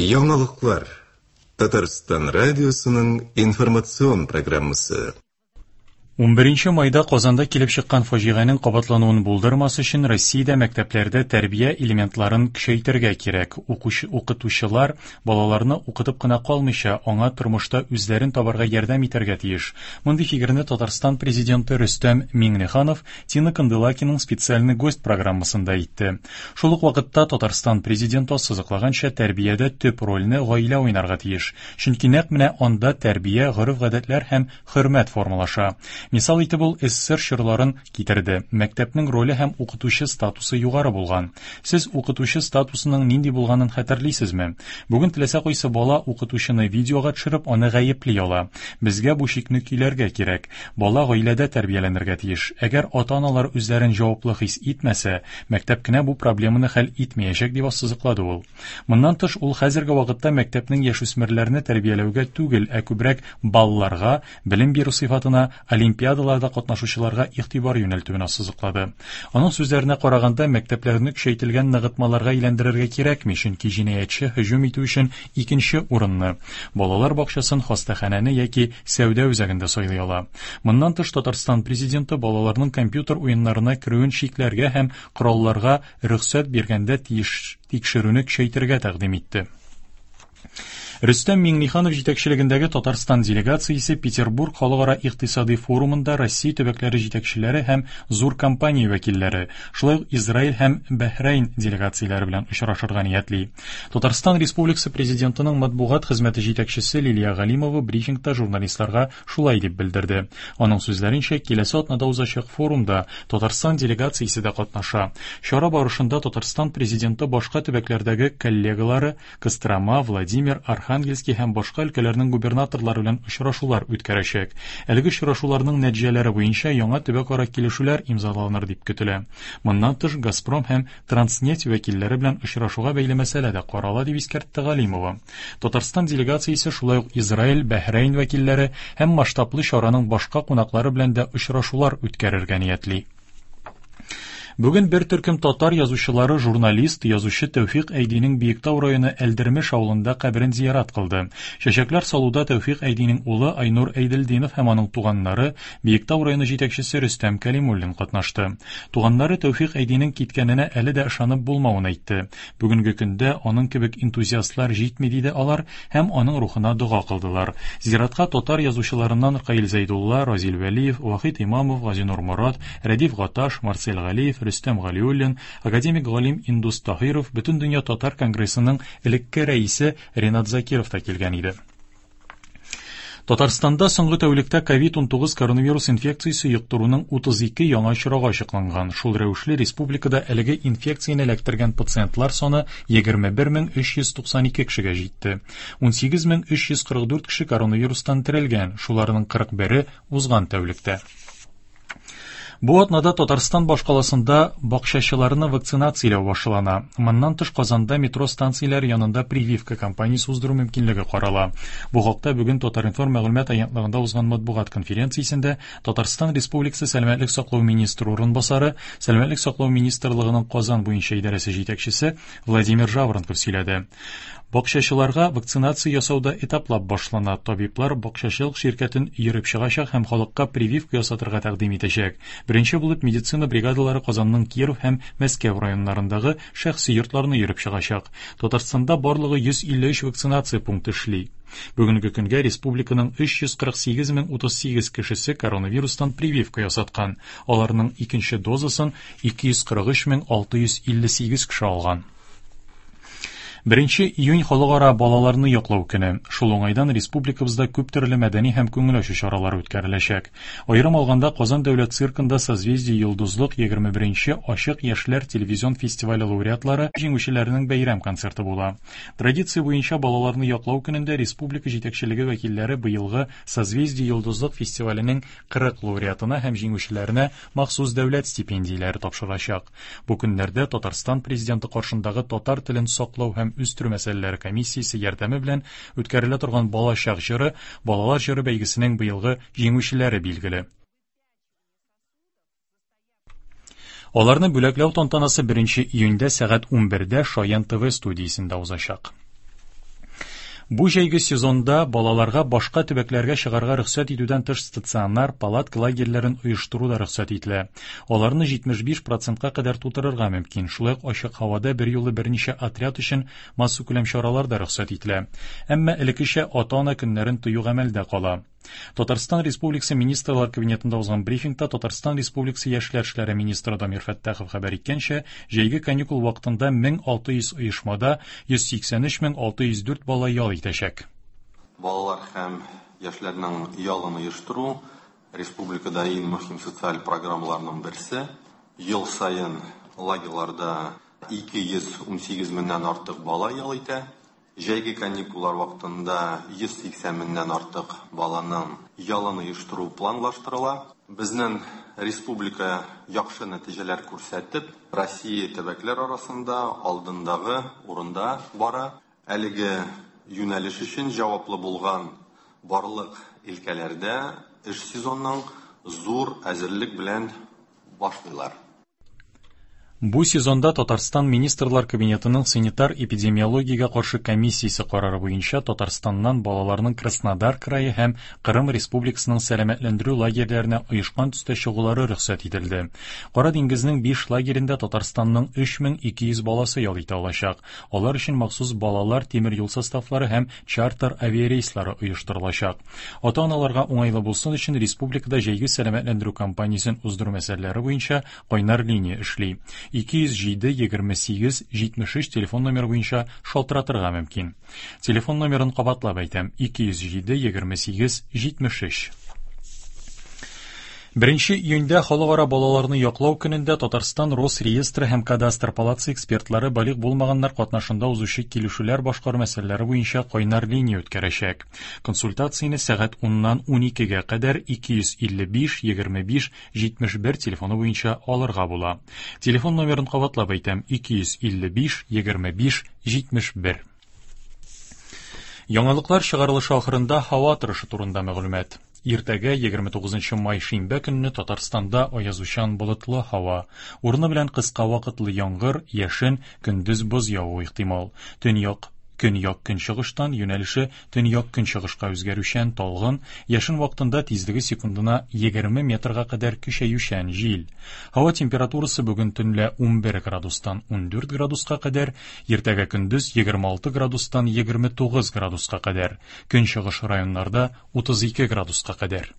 Яңалыклар. Татарстан радиосының информацион программасы. 11 майда Казанда килеп чыккан фаҗиганең кабатлануын булдырмас өчен Россиядә мәктәпләрдә тәрбия элементларын көчәйтергә кирәк. Укучы, укытучылар балаларны укытып кына калмыйча, аңа тормышта үзләрен табарга ярдәм итәргә тиеш. Мондый фикерне Татарстан президенты Рөстәм Миңнеханов Тина Канделакиның «Специальный гость» программасында әйтте. Шул ук вакытта Татарстан президенты ассызыклаганча, тәрбиядә төп рольне гаилә уйнарга тиеш. Чөнки нәкъ менә анда тәрбия, гореф-гадәтләр һәм хөрмәт формалаша. Мисал итеп ул СССР чорларын китерде. Мәктәпнең роле һәм укытучы статусы югары булган. Сез укытучы статусының нинди булганын хәтерлисезме? Бүген теләсә кайсы бала укытучыны видеога төшереп, аны гаепли ала. Безгә бу чикне көйләргә кирәк. Бала гаиләдә тәрбияләнергә тиеш. Әгәр ата-аналар үзләрен җаваплы хис итмәсә, мәктәп кенә бу проблеманы хәл итмәячәк, дип ассызыклады ул. Моннан тыш, ул хәзерге вакытта мәктәпнең яшүсмерләрне тәрбияләүгә түгел, ә күбрәк балларга, белем бирү сыйфатына, олимпиадаларда катнашучыларга игътибар юнәлтүен ассызыклады. Аның сүзләренә караганда, мәктәпләрне көчәйтелгән ныгытмаларга әйләндерергә кирәкми, чөнки җинаятьче һөҗүм итү өчен икенче урынны – балалар бакчасын, хастаханәне яки сәүдә үзәген дә сайлый ала. Моннан тыш, Татарстан Президенты балаларның компьютер уеннарына керүен чикләргә һәм коралларга рөхсәт биргәндә тиеш тикшерүне көчәйтергә тәкъдим итте. Рөстәм Миңнеханов җитәкчелегендәге Татарстан делегациясе Петербург халыкара икътисади форумында Россия төбәкләре җитәкчеләре һәм зур компания вәкилләре, шулай ук Израиль һәм Бәһрәйн делегацияләре белән очрашырга ниятли. Татарстан Республикасы Президентының матбугат хезмәте җитәкчесе Лилия Галимова брифингта журналистларга шулай дип белдерде. Аның сүзләренчә, киләсе атнада узачак форумда Татарстан делегациясе дә катнаша. Чара барышында Татарстан Президенты башка төбәкләрдәге коллегалары Кострома, Владимир, Архангельский һәм башка өлкәләрнең губернаторлары белән очрашулар үткәрәчәк. Әлеге очрашуларның нәтиҗәләре буенча яңа төбәкара килешүләр имзаланыр дип көтелә. Моннан тыш, Газпром һәм Транснефть вәкилләре белән очрашуга бәйле мәсьәлә дә карала, дип искәртте Галимова. Татарстан делегациясе шулай ук Израиль, Бәһрәйн вәкилләре һәм масштаблы чараның башка кунаклары белән дә очрашулар үткәрергә ниятли. Бүген бер төркем татар язучылары журналист, язучы Тәүфик Әйдинең Биектау районы Әлдермеш авылында каберен зиярат кылды. Чәчәкләр салуда Тәүфик Әйдинең улы Айнур Әйделдинов һәм аның туганнары, Биектау районы җитәкчесе Рөстәм Кәлимуллин катнашты. Туганнары Тәүфик Әйдинең киткәненә әле дә ышанып булмавын әйтте. Бүгенге көндә аның кебек энтузиастлар җитми, диде алар һәм аның рухына дога кылдылар. Зиратка татар язучыларыннан Ркаил Зәйдулла, Разил Вәлиев, Вахит Имамов, Газинур Морат, Рәдиф Гаташ, Марсель Галиев, Рөстәм Галиуллин, академик галим Индус Таһиров, Бөтендөнья татар конгрессының элекке рәисе Ренат Закиров та килгән иде. Татарстанда соңгы тәүлектә COVID-19 коронавирус инфекциясе йоктыруның 32 яңа очрагы ачыкланган. Шул рәвешле республикада әлеге инфекцияне эләктергән пациентлар саны 21392 кешегә җитте. 18344 кеше коронавирустан терелгән, шуларның 41-е узган тәүлектә. Бу атнада Татарстан башкаласында бакчачыларны вакцинацияләү башлана. Моннан тыш Казанда метро станцияләре янында прививка кампаниясе уздыру мөмкинлеге карала. Бу хакта бүген Татар-информ мәгълүмат агентлыгында узган матбугат конференциясендә Татарстан Республикасы сәламәтлек саклау министры урынбасары, Сәламәтлек саклау министрлыгының Казан буенча идарәсе җитәкчесе Владимир Жаворонков сөйләде. Бакчачыларга вакцинация ясау да этаплап башлана. Табиблар бакчачылык ширкәтен йөреп чыгачак һәм халыкка прививка ясатырга тәкъдим итәчәк. Беренче булып медицина бригадалары Казанның Киров һәм Мәскәү районнарындагы шәхси йортларны йөреп чыгачак. Татарстанда барлыгы 153 вакцинация пункты эшли. Бүгенге көнгә республиканың 348 038 кешесе коронавирустан прививка ясаткан. Аларның икенче дозасын 243 658 кеше алган. Беренче июнь халыкара балаларны яклау көне. Шул уңайдан республикабызда күп төрле мәдәни һәм күңел ачу чаралары үткәреләчәк. Аерым алганда, Казан дәүләт циркында Созвездие Йолдызлык 21 ачык яшьләр телевизион фестивале лауреатлары җиңүчеләренең бәйрәм концерты була. Традиция буенча балаларны яклау көнендә республика җитәкчелеге вәкилләре быелгы Созвездие Йолдызлык фестиваленең 40 лауреатына һәм җиңүчеләренә махсус дәүләт стипендияләре тапшырачак. Бу көннәрдә Татарстан Президенты каршындагы татар телен саклау һәм үстерү мәсьәләләре комиссиясе ярдәме белән үткәрелә торган Балачак җыры, балалар җыры бәйгесенең быелгы җиңүчеләре билгеле. Аларны бүләкләү тантанасы 1 июньдә сәгать 11-дә Шаян ТВ студиясендә узачак. Бу җәйге сезонда балаларга башка төбәкләргә чыгарга рөхсәт итүдән тыш стационар палатка лагерьларын оештыру да рөхсәт ителә. Аларны 75 процентка кадәр тутырырга мөмкин. Шулай ук ачык һавада берьюлы берничә отряд өчен массакүләм чаралар да рөхсәт ителә. Әмма элеккечә ата-ана көннәрен тыю гамәлдә кала. Татарстан Республикасы Министрлар Кабинетында узган брифингта Татарстан Республикасы Яшьләр эшләре министры Дамир Фәттахов хәбәр иткәнчә, җәйге каникул вакытында 1600 оешмада 183604 бала ял итәчәк. Балалар һәм яшьләрнең ялын оештыру республикада иң мөһим социаль программаларның берсе. Ел саен лагерьларда 218 меңнән артык бала ял итә. Җәйге каникуллар вакытында 180 меңнән артык баланың ялын оештыру планлаштырыла. Безнең республика яхшы нәтиҗәләр күрсәтеп, Россия төбәкләр арасында алдындагы урында бара. Әлеге юнәлеш өчен җаваплы булган барлык өлкәләрдә эш сезонның зур әзерлек белән башлыйлар. Бу сезонда Татарстан Министрлар Кабинетының санитар-эпидемиологиягә каршы комиссиясе карары буенча Татарстаннан балаларның Краснодар крае һәм Кырым Республикасының сәламәтләндерү лагерьләренә оешкан төстә чыгулары рөхсәт ителде. Кара диңгезнең 5 лагерендә Татарстанның 3200 баласы ял итә алачак. Алар өчен махсус балалар тимер юл составлары һәм чартер авиарейслары оештырылачак. Ата-аналарга уңайлы булсын өчен республикада җәйге сәламәтләндерү кампаниясен уздыру мәсьәләләре буенча кайнар линия эшли. 207 28 73 телефон номеры буенча шалтыратырга мөмкин. Телефон номерын кабатлап әйтәм: 207 28 73. 1 июньдә Халыкара балаларны яклау көнендә Татарстан Росреестры һәм Кадастр палатасы экспертлары балигъ булмаганнар катнашында узучы килешүләр башкару мәсьәләләре буенча кайнар линия үткәрәчәк. Консультацияне сәгать 10-нан 12-гә кадәр 255 25 71 телефоны буенча алырга була. Телефон номерын кабатлап әйтәм: 255 25 71. Яңалыклар чыгарылышы ахырында һава торышы турында мәгълүмат. Иртәгә 29 май шимбә көнне Татарстанда аязучан болытлы һава. Урыны белән кыска вакытлы яңгыр, яшен, көндез боз явуы ихтимал. Төньяк көньяк-көнчыгыштан юнәлеше төньяк-көнчыгышка үзгәрүчән талгын, яшен вакытында тизлеге секундына 20 метрга кадәр көчәючән җил. Һава температурасы бүген төнлә 11 градустан 14 градуска кадәр, иртәгә көндез 26 градустан 29 градуска кадәр, көнчыгыш районнарда 32 градуска кадәр.